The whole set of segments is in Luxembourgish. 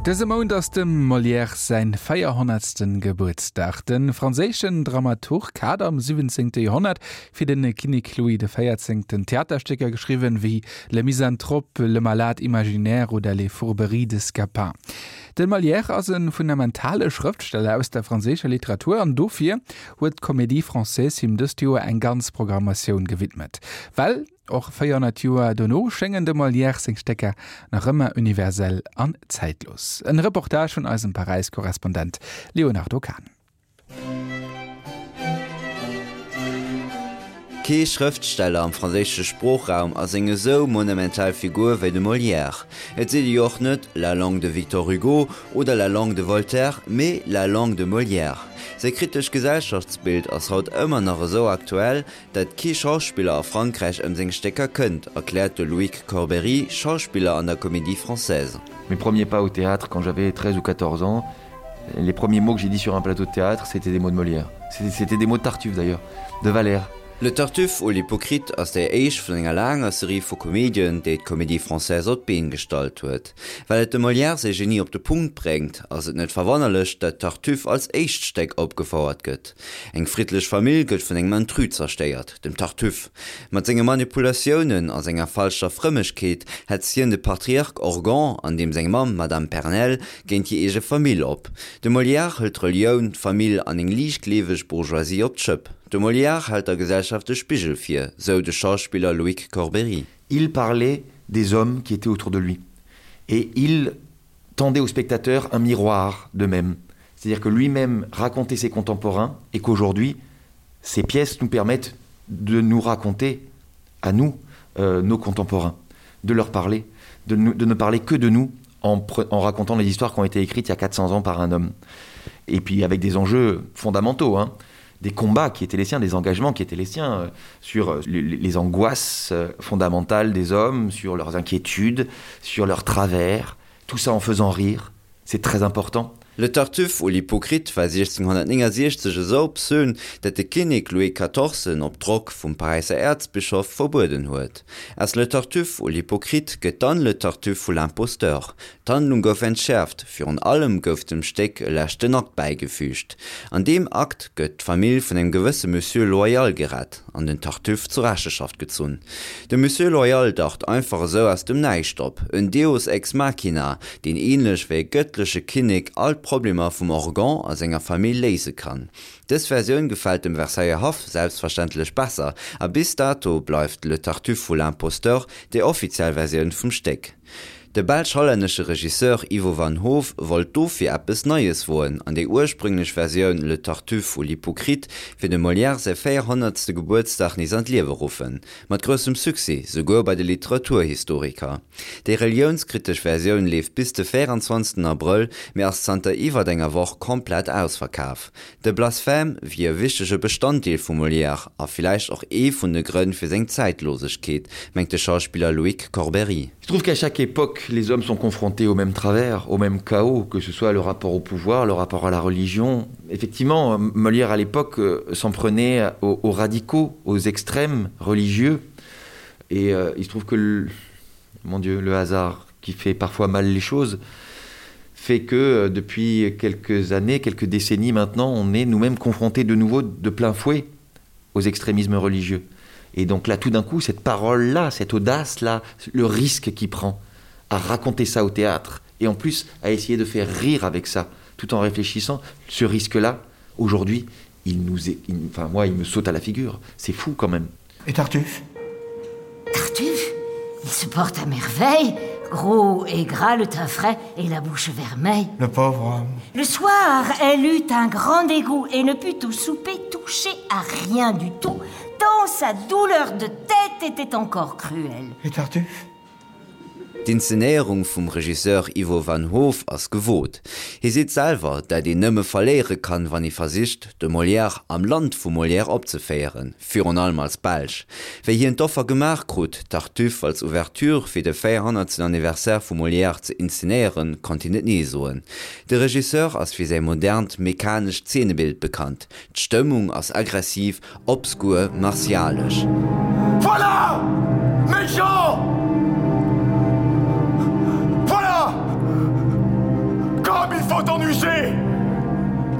Dëse Mount ass dem Molière säin 400. Gebuertsdag. De franséischen Dramaturg hat am 17. Joerhonnert fir de Kinnek Louis de Véierzéngten Theaterstécker geschriwwen, wéi Le Misanthrope, Le Malade imaginaire oder Les Fourberies de Scapin. De Molière ass e fundamentale Schrëftsteller aus der franséischer Literatur an dofir huet d'Comédie Française him dëst Joer eng ganz Programmatioun gewidmet. Well och 400 Joer dono schéngen dem Molière seng Stécker nach ëmmer universell an zäitlos. En Reportage vun eisem Paräis-Korrespondent Léonardo Kahn. Kee Schrëftsteller am franséische Sproochraum ass eng esou monumental Figur wéi de Molière. Et seet ee jo och net la langue de Victor Hugo oder la langue de Voltaire, mee la langue de Molière. Säi kritescht Gesellschaftsbild ass haut ëmmer nach esou aktuell, dat kee Schauspiller a Frankräich ëm seng Stécker kënnt, erkläert de Loïc Corbery, Schauspiller an der Comédie Française. Mes premiers pas au théâtre quand j'avais 13 ou 14 ans, les premiers mots que j'ai dit sur un plateau de théâtre, c'était des mots de Molière. C'était des mots de Tartuffe d'ailleurs, de Valère. Le Tartuffe ou l'Hypocrite ass déi éischt vun enger laanger Serie vu Komedien, déi d'Comédie Française op d'Been gestallt huet. Well et dem Molière säi Genie op de Punkt bréngt, ass et net verwonnerlech, dat Tartuffe als éischt Stéck opgefouert gëtt. Eng friddlech Famill gëtt vun engem Intrus zerstéiert, dem Tartuffe. Mat senge Manipulatiounen a senger falscher Frëmmegkeet hetzt hien de Patriarch Orgon an deem seng Mamm, Madame Pernelle, géint hir eege Famill op. De Molière hëlt d'Relioun, d'Famill an eng liichtgleeweg Bourgeoisie op d'Schëpp. De Molière hält der Gesellschaft de Spigel vir, sou de Schauspiller Loïc Corbery. Il parlait des hommes qui étaient autour de lui et il tendait aux spectateurs un miroir d'eux-mêmes. C'est-à-dire que lui-même racontait ses contemporains et qu'aujourd'hui, ces pièces nous permettent de nous raconter à nous, euh, nos contemporains, de leur parler, de, nous, de ne parler que de nous en, en racontant les histoires qui ont été écrites il y a 400 ans par un homme. Et puis avec des enjeux fondamentaux, hein, des combats qui étaient les siens, des engagements qui étaient les siens, euh, sur euh, les, les angoisses euh, fondamentales des hommes, sur leurs inquiétudes, sur leurs travers, tout ça en faisant rire, c'est très important. Le Tartuffe ou l'Hypocrite war 1669 esou obszön, dat de Kinnek Louis XIV en op Drock vum Paräisser Äerzbischof verbueden huet. Aus Le Tartuffe ou l'Hypocrite gëtt dann Le Tartuffe ou l'Imposteur. D'Handlung gouf entschäerft, virun allem gouf dem Stéck e leschten Akt bäigefüügt. An deem Akt gëtt d'Famill vun engem gewësse Monsieur Loyal gerett an den Tartuffe zur Recheschaft gezunn. De Monsieur Loyal daucht einfach esou aus dem Näischt op, en Deus ex machina, deen ähnlech wéi e gëttleche Kinnek all d'Problemer vum Orgon a senger Famill léise kann. Dës Versioun gefält dem Versailler Haff selbstverständlech besser, a bis dato bleift Le Tartuffe ou l'Imposteur déi offiziell Versioun vum Stéck. De belsch-hollännesche Regisseur Ivo van Hove wollt dofir eppes Neies woen an déi ursprünglech Versioun Le Tartuffe ou l'Hypocrite fir dem Molière säi 400. Gebuertsdag nees an d'Liewe ruffen. Mat groussem Succès, souguer bei de Literaturhistoriker. Déi reliounskritesch Versioun leeft bis de 24. Abrëll, mee ass zanter iwwert enger Woch komplett ausverkaf. De Blasphème wier e wichtege Bestanddeel vum Molière a villäicht och ee vun de Grënn fir seng Zäitlosegkeet, mengt de Schauspiller Loïc Corbery. Il se trouve qu'à chaque époque, les hommes sont confrontés au même travers, au même chaos, que ce soit le rapport au pouvoir, le rapport à la religion. Effectivement, Molière à l'époque euh, s'en prenait aux, aux radicaux, aux extrêmes religieux. Et euh, il se trouve que, le, mon Dieu, le hasard qui fait parfois mal les choses, fait que euh, depuis quelques années, quelques décennies maintenant, on est nous-mêmes confrontés de nouveau de plein fouet aux extrémismes religieux. Et donc là, tout d'un coup, cette parole-là, cette audace-là, le risque qu'il prend à raconter ça au théâtre et en plus à essayer de faire rire avec ça, tout en réfléchissant, ce risque-là, aujourd'hui, il nous est, il, enfin moi, il me saute à la figure. C'est fou quand même. Et Tartuffe Tartuffe Il se porte à merveille, gros et gras, le teint frais et la bouche vermeille. Le pauvre homme. Le soir, elle eut un grand dégoût et ne put au souper toucher à rien du tout, tant sa douleur de tête était encore cruelle. Et Tartuffe D'Inzenéierung vum Regisseur Ivo van Hove ass gewot. Hie seet selwer, dat een nëmme verléiere kann, wann ee versicht, de Molière am Land vum Molière opzeféieren, virun allem als Belsch. Wéi hien d'Offer gemaach krut, Tartuffe als Ouverture fir de 400. Anniversaire vum Molière ze inzenéieren, konnt hien net nee soen. De Regisseur ass fir säi modernt, mechanescht Zeenebild bekannt. D'Stëmmung ass aggressiv, Obskur martialesch. Voilà! Méchant! Voilà! Danger!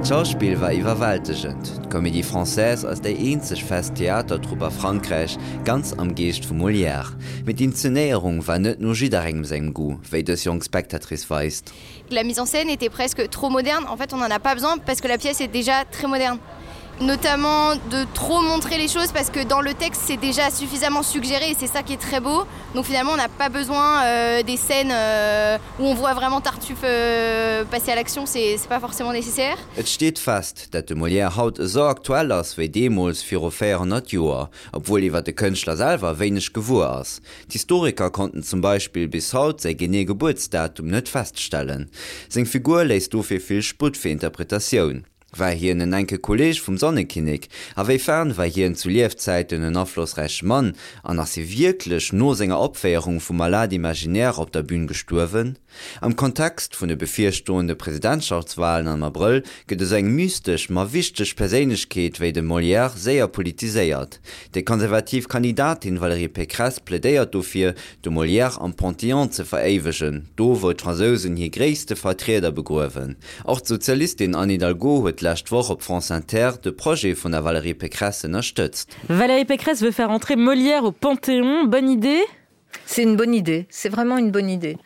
D'Schauspill war iwwerwältegend. D'Comédie Française ass déi eenzeg fest Theatertrupp a Frankräich, ganz am Geescht vum Molière. Mee d'Inzenéierung war net no jidderengem sengem Goût, wéi dës jonk Spectatrice weist. La mise en scène était presque trop moderne. En fait, on n'en a pas besoin parce que la pièce est déjà très moderne. Notamment de trop montrer les choses parce que dans le texte c'est déjà suffisamment suggéré et c'est ça qui est très beau. Donc finalement on n'a pas besoin euh, des scènes euh, où on voit vraiment Tartuffe euh, passer à l'action, c'est pas forcément nécessaire. Et steet fest, dat de Molière haut esou aktuell ass wéi deemools viru 400 Joer, obwuel iwwer de Kënschtler selwer wéineg gewuer ass. D'Historiker konnten zum Beispill bis haut säi genee Gebuertsdatum net feststellen. Seng Figur léisst dofir vill Sputt fir Interpretatioun. War hien en enke Kolleeg vum Sonnekinnek? A wéi fern war hien zu Liefzäiten en aflossräiche Mann? An ass hie wierklech no senger Opféierung vum Malade imaginaire op der Bün gestuerwen? Am Kontext vun de bevirstoende Presidentschaftswalen am Abrëll gëtt esou eng mystesch, ma wichteg Perséinlechkeet wéi de Molière séier politiséiert. Déi konservativ Kandidatin Valérie Pécresse plädéiert dofir, de Molière am Panthéon ze veréiwegen, do wou d'Fransousen hir gréisste Vertrieder begruewen. Och d'Sozialistin Anne Hidalgo huet d'lescht Woch op France Inter de Projet vun der Valérie Pécresse ënnerstëtzt. Valérie Pécresse veut faire entrer Molière au Panthéon. Bonne idée? C'est une bonne idée, c'est vraiment une bonne idée.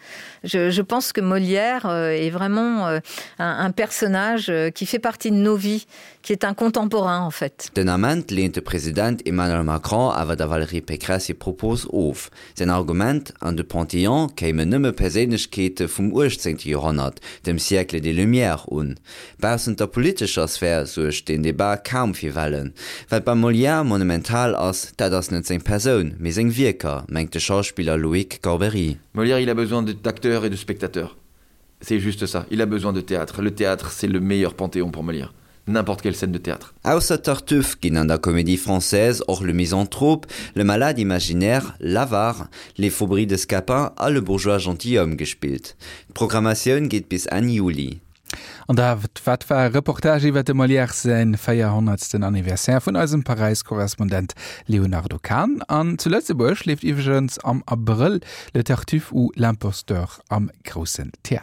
Je, je pense que Molière euh, est vraiment euh, un, un personnage euh, qui fait partie de nos vies, qui est un contemporain en fait. Den Ament leent de President Emmanuel Macron awer der Valérie Pécresse hir Propos of. Säin Argument, An de Panthéon kéimen nëmme Perséinlechkeete vum 18. Joerhonnert, dem Siècle des Lumières, un. Baussent der politescher Sphär suergt deen Debat kaum fir Wellen. Wat beim Molière monumental ass, dat ass net seng Persoun, mee seng Wierker, mengt de Schauspiller Loïc Corbery. Molière, il a besoin d'acteurs et de spectateurs. C'est juste ça. Il a besoin de théâtre. Le théâtre, c'est le meilleur panthéon pour Molière. N'importe quelle scène de théâtre. Ausser Tartuffe ginn an der Comédie Française och Le Misanthrope, Le Malade imaginaire, L'Avare, Les Fourberies de Scapin a Le Bourgeois gentilhomme gespillt. D'Programmatioun geet bis Enn Juli. An dat wat war e Reportage iwwer dem Molière säin 400. Anniversaire vun eisem Paräis-Korrespondent Léonardo Kahn. An zu Lëtzebuerg leeft iwwregens am Abrëll Le Tartuffe ou l'imposteur am Groussen Theater.